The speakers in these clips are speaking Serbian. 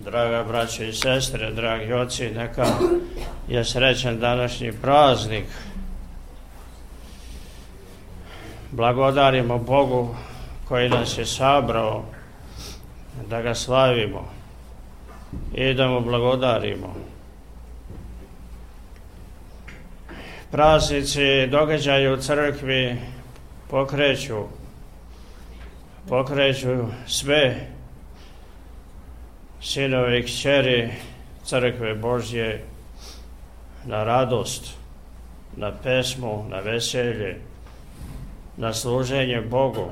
Draga braće i sestre, dragi oci, neka je srećan današnji praznik. Blagodarimo Bogu koji nas je sabrao da ga slavimo i da mu blagodarimo. Praznici, događaji u crkvi pokreću sve sinove i kćeri crkve Božje na radost, na pesmu, na veselje, na služenje Bogu.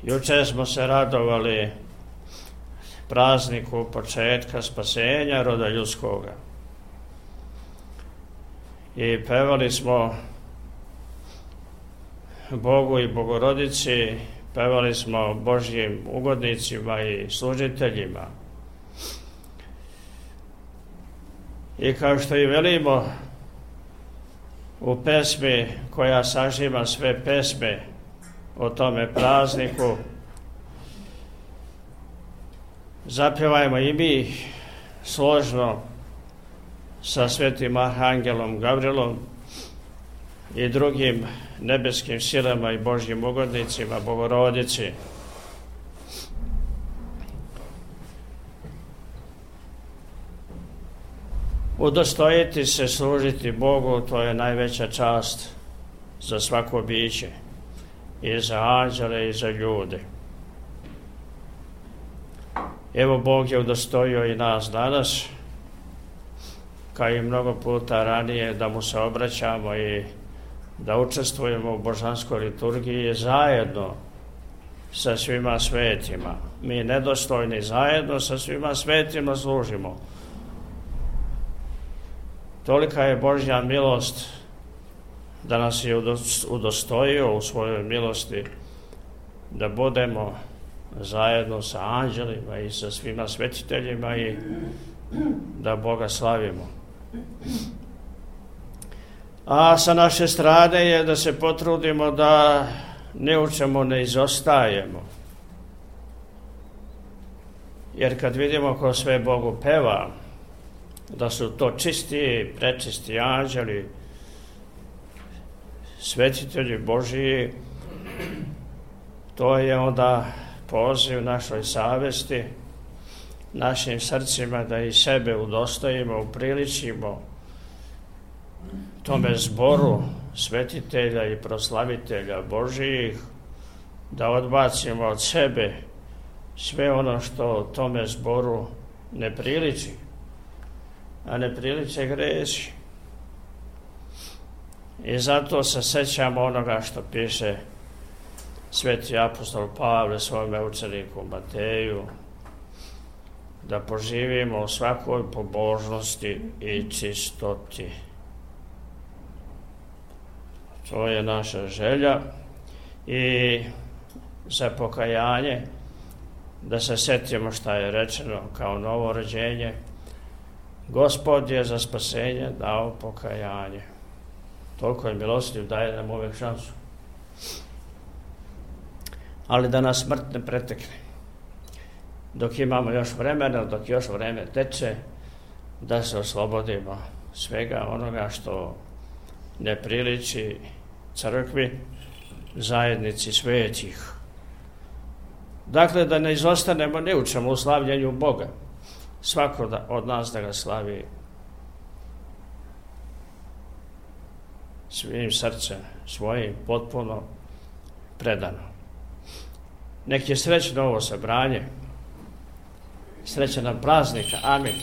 Jučer smo se radovali prazniku početka spasenja roda ljudskoga i pevali smo Bogu i Bogorodici, pevali smo Božjim ugodnicima i služiteljima. I kao što i velimo u pesmi koja sažima sve pesme o tome prazniku, zapjevajmo i mi složno sa svetim arhangelom Gavrilom i drugim nebeskim silama i Božjim ugodnicima, Bogorodici. Udostojiti se služiti Bogu, to je najveća čast za svako biće, i za anđele i za ljude. Evo, Bog je udostojio i nas danas, kao i mnogo puta ranije, da mu se obraćamo i da učestvujemo u božanskoj liturgiji zajedno sa svima svetima. Mi nedostojni zajedno sa svima svetima služimo. Tolika je Božja milost da nas je udostojio u svojoj milosti da budemo zajedno sa anđelima i sa svima svetiteljima i da Boga slavimo. A sa naše strane je da se potrudimo da ne u čemu ne izostajemo. Jer kad vidimo ko sve Bogu peva, da su to čisti, prečisti anđeli, svetitelji Božiji, to je onda poziv našoj savesti, našim srcima da i sebe udostojimo, upriličimo tome zboru svetitelja i proslavitelja Božijih, da odbacimo od sebe sve ono što tome zboru ne priliči, a ne priliče gresi. I zato se sećamo onoga što piše sveti apostol Pavle svome učeniku Mateju, da poživimo u svakoj pobožnosti i čistoti. To je naša želja i za pokajanje, da se setimo šta je rečeno kao novo rođenje. Gospod je za spasenje dao pokajanje. Toliko je milostiv, daje nam uvek šansu. Ali da nas smrt ne pretekne. Dok imamo još vremena, dok još vreme teče, da se oslobodimo svega onoga što ne priliči crkvi, zajednici svetih. Dakle, da ne izostanemo ni u čemu u slavljenju Boga. Svako od nas da ga slavi svim srcem, svojim, potpuno predano. Nek je srećno ovo sabranje, srećan nam praznika. Amin.